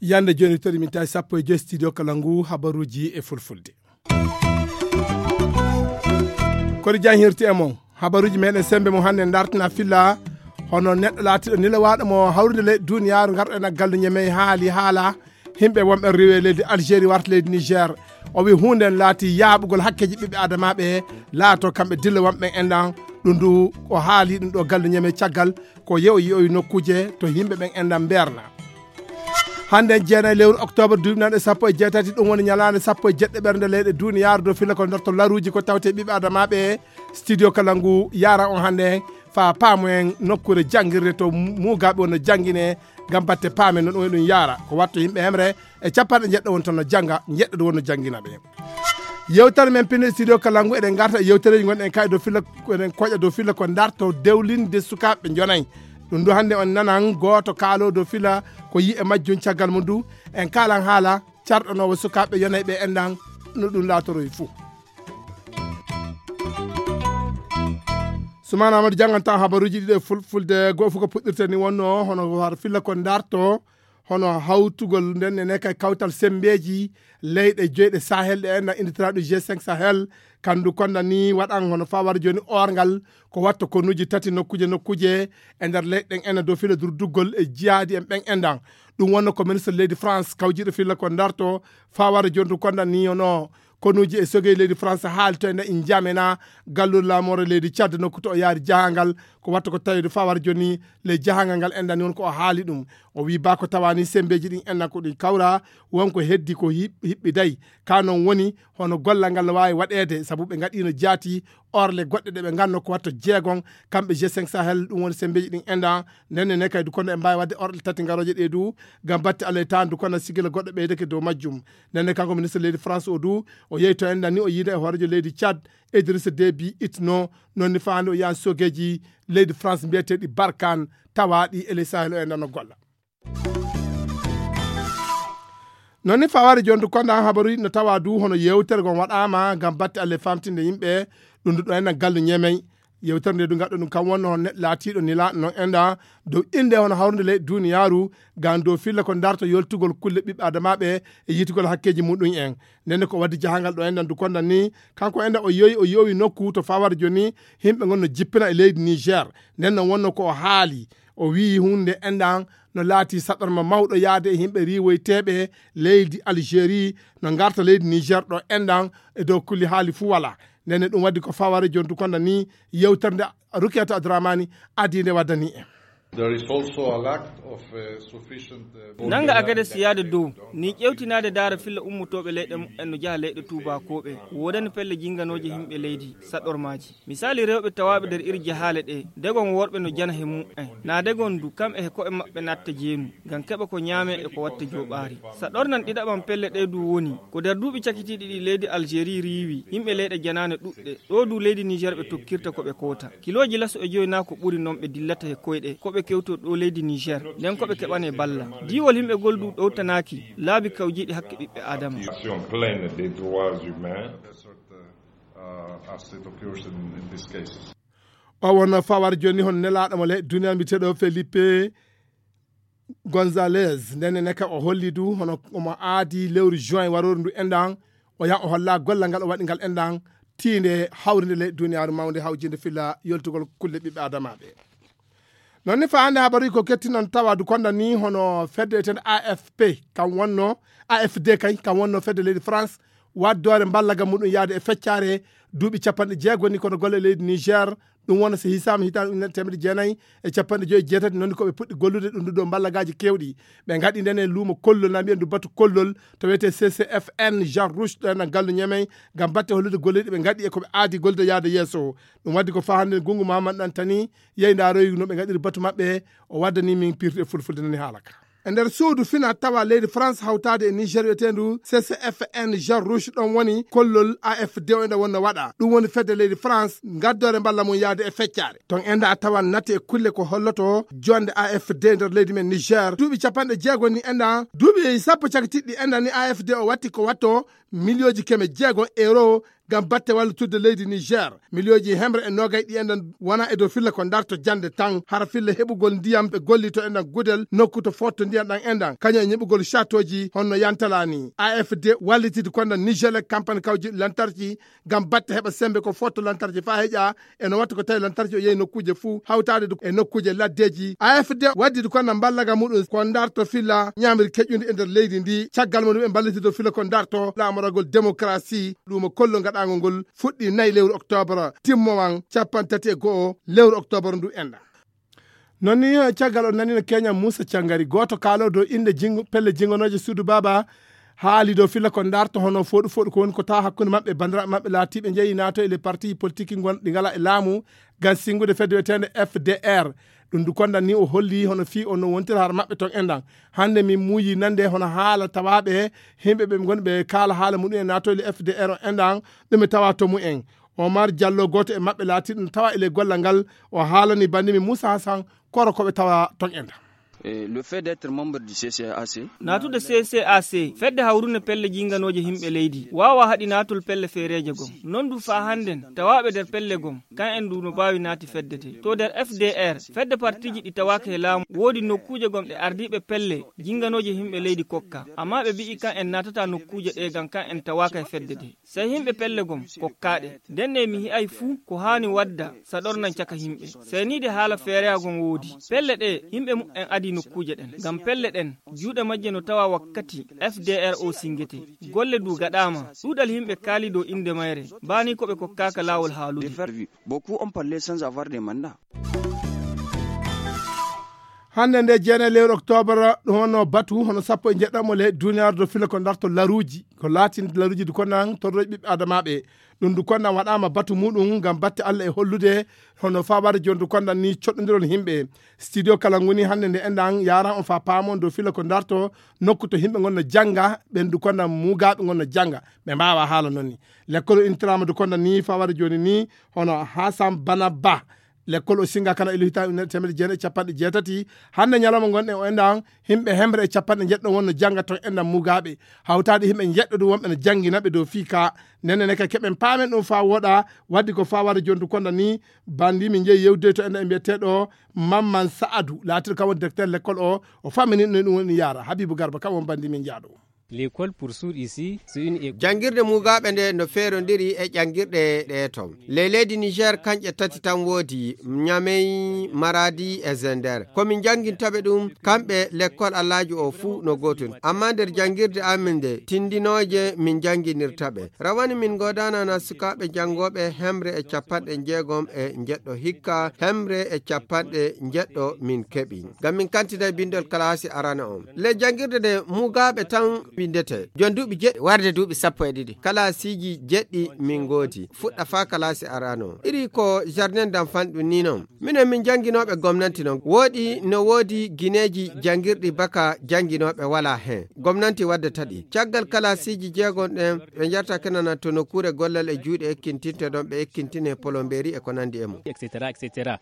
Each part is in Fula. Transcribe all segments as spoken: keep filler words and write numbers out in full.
Yande joni tori min tawi sappo e joyi studio kala ngu habaruji e fulfulde. Kori jan hirti e mon habaruji meɗen sembe mo hande dartina filla hono neɗɗo laatiɗo nilawaɗo mo hawrude leyɗe duniyaaru ngarɗo ena gallu ñemey haali haala himɓe wonɓe rewe leydi Algérie warta leydi Niger. O wi hunde en laati yaaɓugol hakkeji ɓiɓɓe adamaɓe laato kamɓe dilla wonɓe en ɗan. Ɗum du o haali ɗum ɗo gallu ñemey caggal ko yew yewi nokkuje to yimɓe ɓen enɗan mberna. Hande jeenayi lewru octobre duuɓi nanɗe sappo e jeetati ɗum woni ñalaande sappo e jeɗɗo ɓernde leyɗe duniyaaru dow filla ko darto laruuji ko tawte ɓiɓɓe adamaɓe. Studio kala ngu yaran on hande fa paamoyen nokkure jangirde to mugaɓe wonno jangine ngam batte paamen no ɗum e ɗum yara ko watto yimɓe hemre e capanɗe jeɗɗo won toon no janga jeɗɗo wonno jangina ɓe. Yewtere men pinde studio kala ngu eɗen garta e yewtereji gonɗen kay dow filla eɗen koƴa dow filla ko darto dewlinde sukaɓe jonayi. Ɗum du hande on nanan goto kaalo dow filla ko yi e majjum caggal mum du en kalan haala carɗanowo sukaɓe yonayɓe enɗan no ɗum latoroyi fuu. Sumana Amadou jangan tan habaruji ɗiɗo e fulfulde goo fof ko puɗɗirte ni wonno hono har filla ko darto hono hawtugol nden ne kay kawtal sembeji leyɗe joyɗe sahel ɗe enɗan inditiraɗo g cinq sahel kandu konda ni waɗan hono fawar joni orgal ko watta konuji tati nokkuje nokkuje e nder leyɗe ɗen ena dow fila durduggol e jihaadi en ɓen enɗan. Ɗum wonno ko ministre leydi France kawjiɗo filla ko darto fawar joni du konda ni hono konuji e sogey leydi France haalto e nde en jamena galluɗo laamore leydi Tchad nokku to o yaari jahangal ko watta ko tawiɗo fawar joni ley jahangal ngal enɗan ni won ko o haali ɗum. O wi ba ko tawani sembeji ɗin enɗan ko ɗin kawra wonko heddi ko hiɓɓiday ka non woni hono gollal ngal no wawi waɗede sabu ɓe gaɗino jaati orle goɗɗe ɗe ɓe ganno ko watta jeegon kamɓe g cinq sahel ɗum woni sembeji ɗin enɗan. Ndenne ne kay du kono ɓe mbawi wadde orle tati garoje ɗe du ngam batte alay tan du kono sigila goɗɗo ɓeydeke dow majjum. Ndenne kanko ministre leydi France o du o yehi to enɗan ni o yiida e hoorejo leydi Tchad Idrissa Déby Itno nonni faande o yahan sogeji leydi France mbiyeteɗi Barkhane tawaɗi e ley Sahel o enɗan no golla. Noon ni fawaade jonto konda habaruji no tawa du hono yewtere gon waɗama ngam batte alle famtinde yimɓe ɗum du ɗo enɗan gallu ñemey. Yewtere nde du gaɗɗo ɗum kam wonno hono neɗɗo laatiɗo nila noon enɗa dow innde hono hawrude ley duniyaaru ngam dow filla ko darto yoltugol kulle ɓiɓɓe adamaɓe e yitugol hakkeji muɗum en. Ndenne ko waddi jahangal ɗo enɗan du kondan ni kanko enɗan o yowi o yowi nokku to fawar joni yimɓe gon no jippina e leydi Niger. Nden no wonno ko o haali o wii hunde enɗan no laati saɗorma mawɗo yaade e yimɓe riiwoyteeɓe leydi Algérie no ngarta leydi Niger ɗo enɗan e dow kulli haali fuu wala. Ndenne ɗum waddi ko faware jontu konda ni yewtere nde Rukiyata Adramani adii nde waddani en. There is also a lack of uh, sufficient uh, nanga agades yaade dow ni ƴewtinaade daara filla ummotooɓe leyɗe mumen no jaha leyɗe tuubakooɓe woodani pelle jinganooje yimɓe leydi saɗormaaji. Misaali rewɓe tawaaɓe nder iri jahaale ɗe degon worɓe no jana he mumen na degon du kam e he ko'e maɓɓe natta jeenu ngam keɓa ko ñaame e ko watta jooɓaari. Sa ɗornan ɗiɗaɓan pelle ɗe du woni ko nder duuɓi cakitiiɗi ɗi leydi Algérie riiwi yimɓe leyɗe janaane ɗuɗɗe ɗo du leydi Niger ɓe tokkirta ko ɓe koota kilooji laso e joyi na ko ɓuri noon ɓe dillata he koyɗe ko ɓe kewto ɗo leydi Niger nden ko ɓe keɓane balla. Diiwol yimɓe gol du ɗowtanaaki laabi kawjiiɗi hakke ɓiɓɓe aadama. O wonno fawar joni hono nelaɗo mo ley duniya mbiyeteɗo Felipe Gonzalez ndenne neka o holli du hono omo aadi lewru juin warooru ndu enɗan o yaha o holla gollal ngal o waɗi ngal enɗan tiinde hawrinde ley duniyaaru mawnde hawjinde filla yoltugol kulle ɓiɓɓe adamaɓe. Noon ni fa hannde habaruji ko kettinon tawa du konda ni hono fedde etende A F P kam wonno A F D kay kam wonno fedde leydi France waddoore mballagam muɗum yaade e feccare duuɓi capanɗe jeego ni kono golle leydi Niger ɗum wona so hisaama hitaande ujunere teemedde jeenayi e capanɗe joyi e jeetati noon ko ɓe puɗɗi gollude ɗum ɗo mballagaaji keewɗi. Ɓe ngaɗi ndene luumo kollol na mbiyen du batu kollol to wiyetee C C F N Jean Rouge ɗo enɗan gallu ñemey ngam batte hollude golleeji ɗi ɓe ngaɗi e ko ɓe aadi gollude yaade yeeso. Ɗum waddi ko faa hannde Gunngu Mahamadu Ɗantani yehi ndaaroyi no ɓe ngaɗiri batu maɓɓe o waddani min pirti e fulfulde nani haala ka. E nder suudu fina tawa leydi France hawtaade e Niger wiyeteendu C C F N Jean Rouge ɗon woni kollol A F D o ene wonno waɗa. Ɗum woni fedde leydi France ngaddoore mballa mum yaade e feccaare. Ton enda a tawan nati e kulle ko holloto jonde A F D nder leydi men Niger. Duuɓi capanɗe jeego ni enda, duuɓi sappo cagitiɗɗi enda ni A F D o watti ko watto miliyooji keme jeego euro ngam batte wallitudde leydi Niger. Miliyooji hemre e noogay ɗi enda wona e dow filla ko darto jande tan, hara filla heɓugol ndiyam ɓe gollito enda gudel nokku to fotto ndiyam ɗan endan, kañum e ñiɓugol châteauji honno yantala ni. A F D wallitidi konda Niger e campagne kawji lantarki ngam batte heɓa sembe ko fotto lantarki fa heƴa e no watta ko tawi lantarki o yehi nokkuje fuu hawtaade du e nokkuje laddeji. A F D waddidi konda mballaga muɗum ko darto filla ñamiri keƴundi e nder leydi ndi. Caggal mo ɗum ɓe mballitido filla ko darto laamoragol démocratie. Ɗum o kollo gaɗaango ngol fuɗɗi nayi lewru octobre, timmowan capanɗe tati e go'o lewru octobre ndu enɗan. Non ni, eh, caggal o nanino Kenya Musa Cangari, gooto kaalo dow innde jingo, pelle jingonooje suudu baaba, haali dow filla ko darto hono fooɗu fooɗu ko woni ko tawa hakkunde maɓɓe, banndiraaɓe maɓɓe laatiiɓe njeyi naato e les parti politique ngon-, ɗi ngala e laamu, ngam singude fedde wiyeteende F D R. Ɗum du kondan ni o holli hono fii o no wontira har maɓɓe ton enɗan. Hannde min muuyi nande hono haala tawaaɓe, yimɓe ɓe ngonɓe kaala haala muɗum e naato e les F D R o enɗan, ɗum e tawa to mumen. Omar Diallo, gooto e maɓɓe laatiiɗo no tawa e ley gollal ngal, o haalani banndi men Moussa Hassan koro ko ɓe tawa ton enɗan. Eh, le fait d'être membre du C C A C. Naatude C C A C, fedde hawrunde pelle jinganooje yimɓe leydi, waawa haɗi naatol pelle feereeje gom. Non du faa hannden, tawaaɓe nder pelle gom, kan en du no baawi naati fedde de. To nder F D R, fedde partiiji ɗi tawaaka e laamu, woodi nokkuuje gom ɗe ardiiɓe pelle jinganooje yimɓe leydi kokka. Ammaa ɓe bi'i kan en naatata nokkuuje ɗe gam kan en tawaaka e fedde de. Sey yimɓe pelle gom kokkaaɗe. Nden ne mi hi'ay fuu ko haani wadda saɗornan caka yimɓe. Sey ni de haala feereya gom woodi. Pelle ɗe yimɓe mu'en adi nokkuuje ɗen. Ngam pelle ɗen, juuɗe majje no tawa wakkati F D R o singete. Golle du gaɗaama. Ɗuuɗal yimɓe kaali dow innde mayre. Baani ko ɓe kokkaaka laawol haalude. De faire vivre. Beaucoup ont parlé sans avoir de mandat. Hannde nde jeenayi lewru octobre, ɗum wonno batu hono sappo e njeɗɗamo le duniyaaru do fila ko darto laruuji. Ko laatinde laruuji du kondan torroji ɓiɓɓe adamaaɓe. Ɗum du kondan waɗaama batu muɗum ngam batte Allah e hollude hono faa wari jooni du kondan ni coɗɗondirol yimɓe. Studio kala ngoni hannde nde enɗan yaran on faa paamon do fila ko darto nokku to yimɓe ngon no jannga, ɓen du kondan mugaaɓe ngon no jannga. Ɓe mbaawa haala non ni. Lekkol o intiraama du kondan ni faa wari jooni ni hono Hassan Bana Ba. Lekkol o singa kana ilu hitaande ujunere teemedde jeenayi e capanɗe jeetati. Hannde ñalawma ngonɗen o enɗan, yimɓe hemre e capanɗe njeɗɗo wonno jannga ton enɗan mugaaɓe. Hawtaade yimɓe njeɗɗo du wonɓe no janngina ɓe dow fii ka. Nden ne ka keɓen paamen ɗum faa wooɗa, waddi ko faa wara jooni du kondan ni, banndi min njeyi yewtude to enɗan e mbiyeteeɗo Mamman Sa'adu, laatiiɗo kam woni directeur lekkol o, o fammini no ɗum woni yaara. Habibu Garba kam won banndi min jaaɗo. L'école pour sourds ici, c'est une école. Janngirde mugaaɓe nde no feerondiri e janngirɗe ɗe ton. Ley leydi Niger kanƴe tati tan woodi, Niamey, Maradi e Zender. Ko min jannginta ɓe ɗum, kamɓe lekkol Allaaji o fuu no gootum. Ammaa nder janngirde amin nde, tindinooje min jannginirta ɓe. Rawane min ngoodaana na sukaaɓe janngooɓe hemre e capanɗe jeegom e njeɗɗo hikka, hemre e capanɗe njeɗɗo min keɓi. Ngam min kantinay binndol kalaasi arana on. Ley janngirde nde mugaaɓe tan winndete. Jon duuɓi jeɗɗi warde duuɓi sappo e ɗiɗi. Kalaasiiji jeɗɗi min ngoodi. Fuɗɗa faa kalaasi arano. Iri ko jardin d'enfant ɗum ni non. Minen min jannginooɓe gomnanti non. Wooɗi no woodi gineeji janngirɗi baka jannginooɓe walaa heen. Gomnanti waddata ɗi. Caggal kalaasiiji jeegom ɗen, ɓe njarta kenana to nokkuure gollal e juuɗe ekkintinta ɗon ɓe ekkintine polombeeri e ko nanndi e mum. Et cetera, et cetera.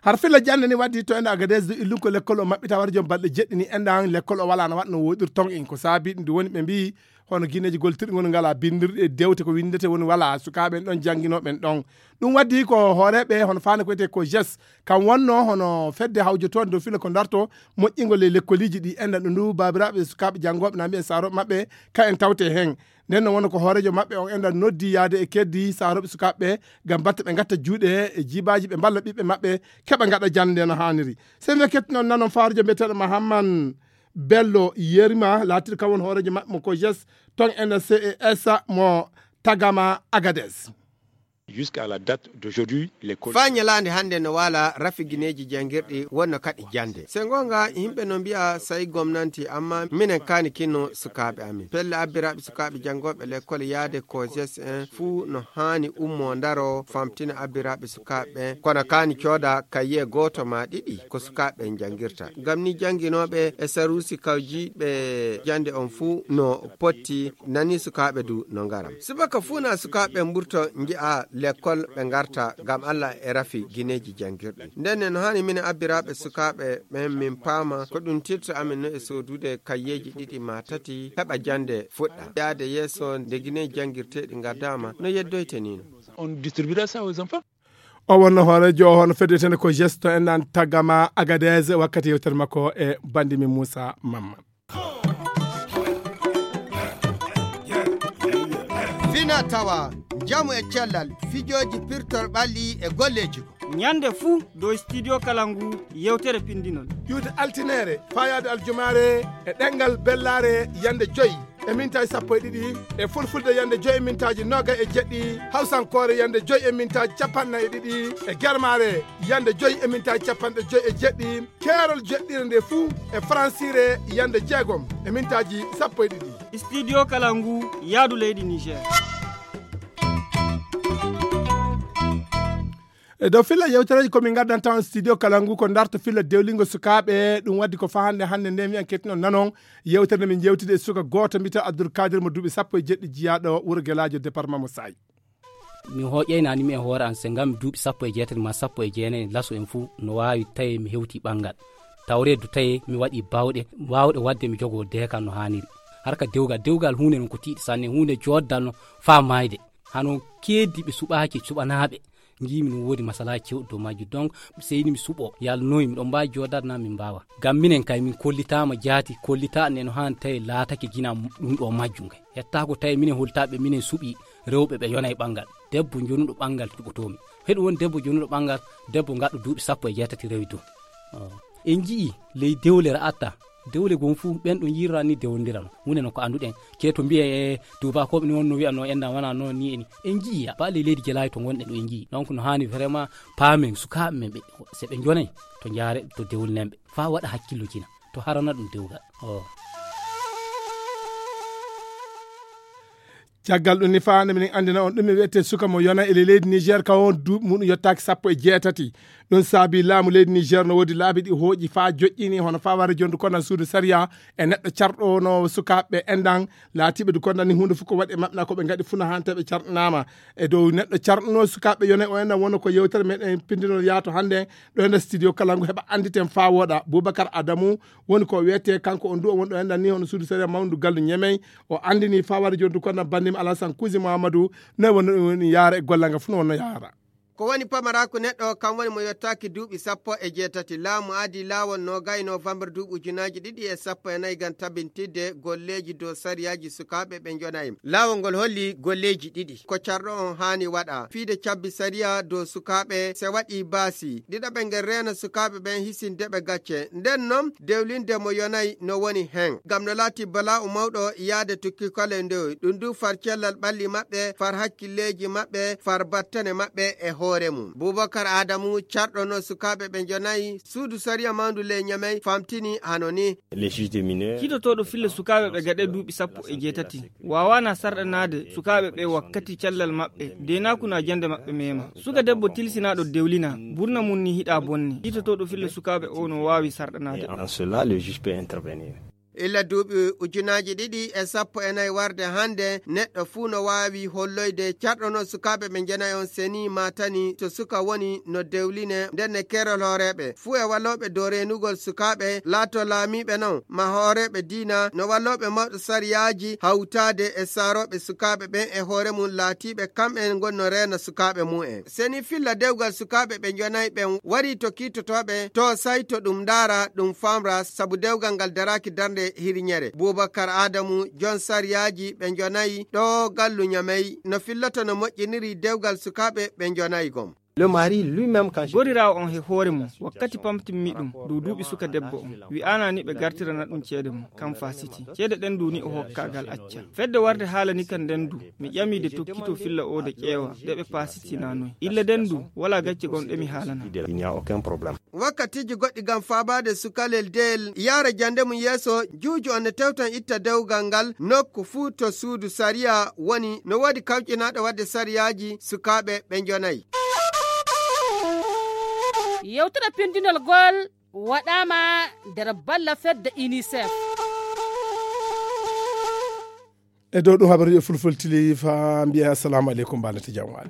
Har filla jannde ni waddi to enda Agadez du illun ko lekkol o maɓɓita wara joom balɗe jeɗɗi ni enɗan lekkol o walaa no waɗno woɗir ton en ko saabi ɗum ndu woni ɓe mbiyi hono gineeji goltirɗi ngoni ngala bindirɗi e dewte ko winndete woni walaa sukaaɓe en ɗon jannginooɓe en ɗon. Ɗum waddi ko hooreeɓe hono faande ko wiyetee ko jes kam wonno hono fedde hawjotoonde dow filla ko darto moƴƴingol e lekkoliiji ɗi enɗan ɗum ndu baabiraaɓe sukaaɓe janngooɓe na mbiyen saarooɓe maɓɓe ka en tawte heen. Nden no wona ko hooreejo maɓɓe on enɗan noddi yaade e keddi saarooɓe sukaaɓe ɓe ngam batte ɓe ngatta juuɗe e jiibaaji ɓe mballa ɓiɓɓe maɓɓe keɓa ngaɗa jannde no haaniri. Sey no kettinon nanon faarujo mbiyeteeɗo Mahamman Bello Yerima laatiiɗo kam won hooreejo maɓɓe mo ko jes ton enɗan C E S mo Tagama Agades. Jusqu'à la date d'aujourd'hui, l'école. Faa ñalaande hannde no waala rafi gineeji janngirɗi wonno kaɗi jannde. Se ngoonga, yimɓe no mbiya sayi gomnanti, amma minen kaani kinno sukaaɓe amin. Pelle abbiraaɓe sukaaɓe janngooɓe lekkol yaade ko jes en fuu no haani ummoo ndaro famtina abbiraaɓe sukaaɓe ɓen. Kono kaani cooda kaye gooto maa ɗiɗi ko sukaaɓe ɓen janngirta. Ngam ni jannginooɓe e saruusi kawjiiɓe jannde on fuu no potti nani sukaaɓe du no ngaram. Subaka fuu na sukaaɓe mburto nji'a lekkol ɓe ngarta ngam Alla e rafi gineeji janngirɗi. Nden ne no haani minen abbiraaɓe sukaaɓe ɓen min paama ko ɗum tirta amin no e soodude kayyeeji ɗiɗi maa tati heɓa jannde fuɗɗa. Yaade yeeso nde gineeji janngirteeɗi ngaddaama no yeddoyte nii no. On distribuera ça aux enfants. O wonno hooreejo hono fedetene ko gesto en nan tagama Agadez wakkati yewtere makko e bandi min Moussa Mamma. Fina tawa, njamu e cellal, fijooji pirtor ɓalli e golleeji. Ñande fuu dow studio kala ngu yewtere pinndinol. Ƴuwde altineere, faayaade aljumaare e ɗemngal bellaare yande joy e mintaaji sappo e ɗiɗi, e fulfulde yande joy e mintaaji noogay e jeɗɗi, hawsankoore yande joy e mintaaji capanɗe nayi e ɗiɗi, e germaare yande joy e mintaaji capanɗe joy e jeɗɗi, keerol jeɗɗire nde fuu e faransiire yande jeegom e mintaaji sappo e ɗiɗi. Studio kala ngu yaadu leydi Niger. E dow filla yewtereeji ko min ngaddanta on studio kala ngu ko darto filla dewlingo sukaaɓe, ɗum waddi ko fahande hannde nde mi en kettinon nanon yewtere nde min jewtide e suka gooto mbiyetee Abdoul Kadir mo duuɓi sappo e jeɗɗi jiyaaɗo wuro Gelaajo département mo Saay. Mi hoƴƴaynaani mi e hoore an se ngam duuɓi sappo e jeetati maa sappo e jeenayi laso en fuu no waawi tawi mi hewti ɓanngal. Tawreedu tawi mi waɗi baawɗe, waawɗe waɗde mi jogoo deekal no haaniri. Harka dewgal, dewgal huunde non ko tiiɗi sanne, huunde jooddal no faa maayde. Hano keeddiiɓe suɓaaki suɓanaaɓe. Njiimi no woodi masalaaji cewɗi dow majji. Donc, seyni mi suɓo, yalnoyi, miɗo mbaawi joodaade naa min mbaawa. Ngam minen kay, min kollitaama jaati, kollitaaɗo ne no haani tawi laatake jina ɗum ɗo majjum kay. Hettaako tawi minen holtaaɓe, minen suɓi rewɓe ɓe yona e ɓanngal. Debbo jonuɗo ɓanngal cuɓotoomi. Heɗo woni debbo jonuɗo ɓanngal, debbo gaɗɗo duuɓi sappo e jeetati rewi dow. Oh. En nji'i ley dewle ra'atta. Dewle gon fuu, ɓen ɗon yirra ni dewlondirano. Huunde non ko annduɗen. Ceeto mbiye, e, tuubakooɓe ni wonno wi'ano, enɗan wana noon ni e ni. En nji'i, ba ley leydi Gelaajo to ngonɗen ɗo en nji'i. Donc no haani vraiment paamen sukaaɓe men ɓe, se ɓe njonay, to njaare, to dewlinen ɓe. Faa waɗa hakkillo jina. To harana ɗum dewgal. Oh. Caggal ɗum ni faa nde minen anndina on ɗum mi wiyetee suka mo yona e leydi Niger ka on duuɓi muɗum yottaaki sappo e jeetati. Ɗum saabi laamu leydi Niger no woodi laabi ɗi hooƴi faa joƴƴini hono faa wara jondu kono suudu sariya e neɗɗo carɗo no sukaaɓe enɗan laatiiɓe du kono ni huunde fof ko waɗi e maɓɓe na ko ɓe ngaɗi funa hante ɓe carɗanaama. E dow neɗɗo carɗuno sukaaɓe yona o enɗan wonno ko yewtere meɗen pindinol yaato hannde ɗo e nder studio kala ngu heɓa annditen faa wooɗa. Boubacar Adamu woni ko wiyetee kanko on du o woni ɗo enɗan ni hono suudu sariya mawndu gallu Ñemey. O anndini faa wari jondu kono banndim Alassane Kusi Mahamadou ne woni ɗum woni yaara e gollal ngal fuu no wonno yaara. Ko woni pamaraaku neɗɗo kam woni mo yottaaki duuɓi sappo e jeetati. Laamu adi laawol noogay novembre duuɓi ujunaaji ɗiɗi e sappo e nayi ngam tabintidde golleeji dow sariyaaji sukaaɓe ɓe njonayi. Laawol ngol holli golleeji ɗiɗi ko carɗo on haani waɗa. Fiide cabbi sariya dow sukaaɓe se waɗi baasi. Ɗiɗaɓel ngel reena sukaaɓe ɓen hisinde ɓe gacce. Nden non dewlinde mo yonay no woni hen. Ngam no laati bala'u mawɗo yaade tukki kala e ndewoy. Ɗum du far cellal ɓalli maɓɓe, far hakkilleeji maɓɓe, far battane maɓɓe e hoore mum. Bubakar Adamu carɗono sukaaɓe ɓe njonayi suudu sariya mawndu ley Ñamey famtini hano ni. Les juges des mineurs. Kiitotooɗo filla sukaaɓe ɓe gaɗe duuɓi sappo e jeetati. Waawaana sarɗanaade sukaaɓe ɓe wakkati callal maɓɓe, deenaaku na jannde maɓɓe meema. Suka debbo tilsinaaɗo dewlina, burna mum ni hiɗa bonni. Kiitotooɗo filla sukaaɓe o no waawi sarɗanaade. Et en cela, le juge peut intervenir. Illa duuɓi ujunaaji ɗiɗi e sappo e nayi warde hannde, neɗɗo fuu no waawi holloyde carɗono sukaaɓe ɓe njenayi on seni maatani to suka woni no dewline nden ne keerol hooreeɓe. Fuu e wallooɓe dow reenugol sukaaɓe, laato laamiiɓe non, ma hooreeɓe diina, no wallooɓe mawɗo sariyaaji hawtaade e saarooɓe sukaaɓe ɓen e hoore mum laatiiɓe kamɓen ngon no reena sukaaɓe mum en. Seni filla dewgal sukaaɓe ɓe njonayi ɓen warii to kiitotooɓe, to sayto ɗum ndaara, ɗum famra, sabu dewgal ngal daraaki darnde hiriñere. Bubakar Adamu, jon sariyaaji ɓe njonayi ɗo gallu Ñamey, no filloto no moƴƴiniri dewgal sukaaɓe ɓe njonayi gom. Le mari lui-même quand goriraawo on he hoore mum wakkati pamtimmi ɗum dow duuɓi suka debbo on wi'aanani ɓe gartirana ɗum ceede mum kam faasiti ceede ɗen duuni o hokkagal acca fedde warde haalani kan nden du mi ƴami de tokkito filla o de ƴeewa de ɓe paasitinanoy illa den du wala gacce gon ɗe mi haalana. Wakkatiiji goɗɗi ngam faabaade sukalel del yaara jannde mum yeeso, juuju on ne tewtan itta dewgal ngal nokku fuu to suudu sariya woni no woodi kawƴinaaɗo waɗde sariyaaji sukaaɓe ɓe njonayi. Yewtere pindinol gol waɗaama nder balla fedde unicef. E dow ɗum habaruji e fulfultili fa mbiya assalamu aleykum mbanati jam waali.